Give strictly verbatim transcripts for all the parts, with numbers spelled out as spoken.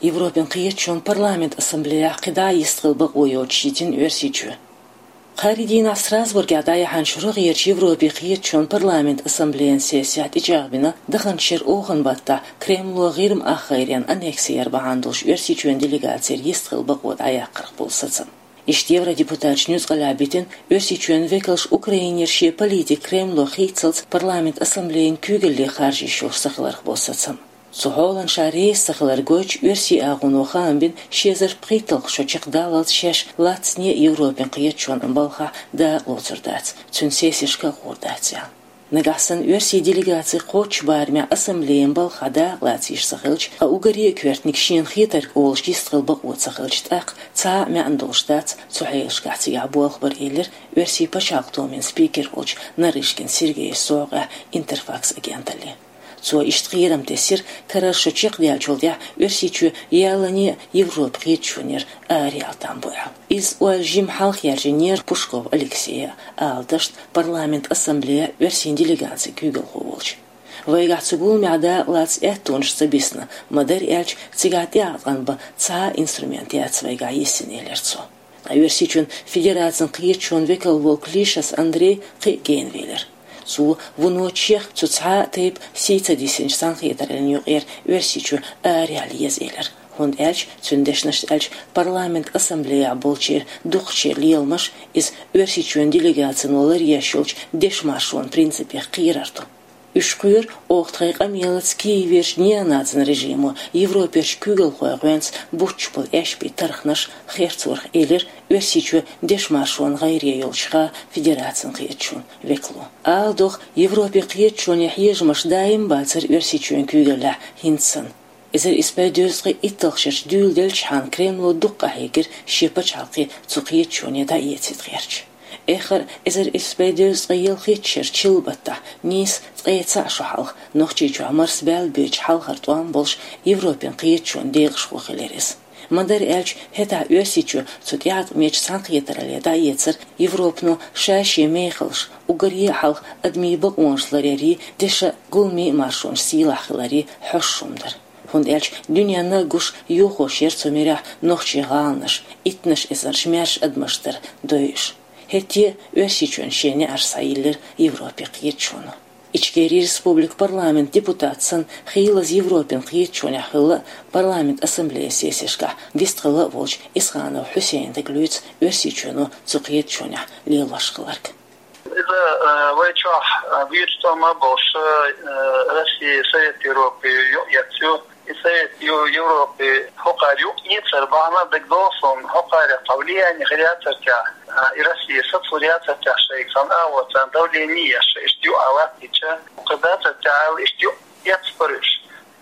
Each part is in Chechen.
Европин кхеташонан парламент ассамблеяхь кхидӀа йистхила бакъо йоцуш йитина Оьрсийчоь. Кхаарин дийнахь Страсбургехь дӀаяьхьначу рогӀерачу Европин кхеташонан парламент ассамблеян сессехь тӀечӀагӀбина даханчу шеран оханан баттахь Кремло ГӀирма ахгӀайренан аннекси яр бахьана долуш Оьрсийчоьнан делегацера йистхила бакъо дӀаяккхарх болу сацам. Иштта евродепутаташ нуьцкъалахь битина Оьрсийчоьнан векалш Украинера шен политика Кремло хийццалц парламент ассамблеян куьйгалле харжийш йолуш ца хиларх болу сацам. Цу хьолана ша реза ца хилар гойтуш, оьрсийн агӀоно хаам бина ши эзар пхийтталгӀа шо чекхдаллалц шаьш лаццане а Европин кхеташонан балхахь дакъа лоцур дац, цуьнан сессешка а гӀур дац аьлла. Нагахь санна оьрсийн делегаци кхоччуш барамехь ассамблеян балхахь дакъа лацийш ца хилча, ткъа уггаре а коьртаниг шена хетарг олуш йистхила бакъо ца хилча, тӀаккха цхьа а маьӀна долуш дац цу хьелашкахь цигахь болх бар, элира оьрсийн пачхьалкхан думин спикер волчу Нарышкин Сергейс совгӀехь Интерфакс агенталле. Цо иштта кхерам тесира, карара шо чекхдаьллачул тӀаьхьа Оьрсийчоь яллане а Европин кхеташонера араяла там бу аьлла. Иза ойла жимма хьалха яьржинера Пушков Алексея, ала дашна парламент ассамблеян оьрсийн делегацин куьйгалхо волчу. Вайгахь цу гуламехь дакъа лаца аьттонаш ца бисна, ма-дарра аьлча, цигахь тӀеӀаткъам бан цхьа а инструмент яц вайгахь йисина, элира цо. Ткъа Оьрсийчоьнан Федерацин кхеташонан векал волу Клишас Андрей кхин а генавелира. Цо вуно чехка цу цхьа а тайпа сий ца дисинчу цхьаьнакхетараллин юкъера Оьрсийчу араяла еза элира, хӀунда аьлча, цуьнан дешнашца аьлча, парламент ассамблеяхь болчеран дукхачеран леламаш иза Оьрсийчоьнан делегацино ларъеш йолчу дешан маршонан принципех кхерар ду. Уьш кхоьру оха тхайн къамелаца Киеверчу неонацин режимо Европерчу куьйгалхойн гӀоьнца буттуш болу аьшпийн тарханаш херцорах, элира Оьрсийчоь дешан маршонан гӀайре йолчу хан Федерацин кхеташонан векало. Ала догӀу, Европин кхеташонан хьежамаш даим бацара Оьрсийчоьнан куьйгаллехь хӀинца санна. Эзар исс бӀе дезткъе итталгӀачу шарахь дуьйладелчхьана Кремло дукха къахьегира шен пачхьалкх цу кхеташоне дӀаэцийта гӀерташ. Эххар эзар исс бӀе дезткъе ялхитта шарахь чиллан баттахь нийса ткъе цхьаъ шо хьалха Нохчийчохь марсабаьлла боьдучу хьалхара тӀом болуш Европин кхеташонан декъашхо хилира иза. Ма-дарра аьлча, хӀетахь Оьрсийчоь цу тӀеӀаткъамечу цхьаьнакхетаралле дӀаэцар Европано ша-шен мехаллаш, уггаре а хьалха адамийн бакъонаш ларъярий, дешан гуламийн а маршонаш сийлахь хиларий хьоьшуш хӀума дара. ХӀунда аьлча дуьненна а гуш йохош яра цу муьрехь нохчийн гӀаланаш, иттаннаш эзарнаш маьрша адамаш дар дойуш. ХӀетте а Оьрсийчоьнан шен неӀарш схьайиллира Европин кхеташоно. Ичкерин республикан парламентан депутат санна, хийлаза Европин кхеташонехь хилла а, парламентан ассамблеян сессешкахь вистхилла а волчу Исханов Хьусейна дага луьйцу Оьрсийчоьно цу кхеташонехь лелош хилларг. Иза, э, вай чохь, э, вирус тӀом а болуш, э, Россия Совет Европы юкъаэцна ю. И Совет Ю-, Европы хӀокхара юкъаэцар бахьана дагадогӀу суна, хӀокхарах цхьа влияние хир яцара техьа, э, и Россия сацалур яцара техьа шайга цхьана агӀор царна давление еш, иштта юкъа латтийча, кхин дацара техьа аьлла, иштта юкъаэцна бара уьш.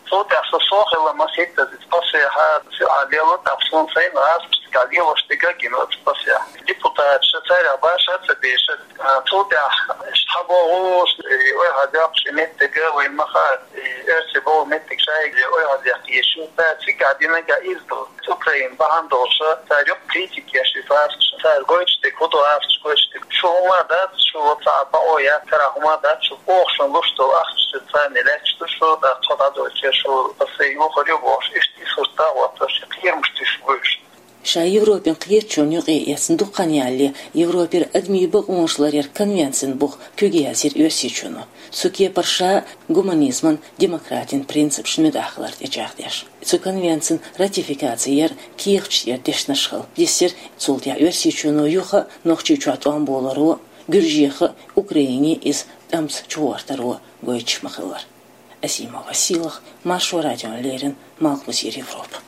Цул тӀаьхьа со, со хилла масийтта иза пасехьа, со а лело тӀаккха суна сайна гӀазкхашка лелош дерг а гина вац пасехьа. Депутаташа царах башха а ца беш, а, цул тӀаьхьа иштта хьабогӀуш, и ойхьа доккхуш и меттиг а вайна ма хаьа, и оьрсий богӀу меттиг шайга ойхьа деккха езаш ю, ткъа цигахь динарг а иза ду. Украина бахьана долуш, цара юкъа критика еш и гӀазкхаша, цара гойтуш дерг хӀун ду, гӀазкхаша гойтуш дерг. Шу хӀума дац, шу цхьа а бакъо яц, цара хӀума дац, шу оха шуна луш долу ахча шу царна лаьтташ ду шу, тӀаккха тхо дӀадойтур шу, аса юхур ю бохуш, иштта и сурт а хӀоттош, и кхерамаш тиша гуш. Ша Европин кхеташонна юкъаэцна дукха хан ялале, Европера адамийн бакъонаш ларъяран конвенцин бух куьг яздира Оьрсийчоьно. Цу кепара ша гуманизман, демократин принципашна муьтӀахь хилар тӀечӀагӀдеш. Цу конвенцин ратификаци яр кехаташ тӀера дешнаш хилла диссира, цул тӀаьхьа Оьрсийчоьно юха а Нохчийчохь тӀом боларо, Гуьржеха а, Украине а иза тӀамца чугӀортаро гойтуш ма-хиллара. Азимова Сийлаха, Маршо радиона леррина, Малхбузера Европа.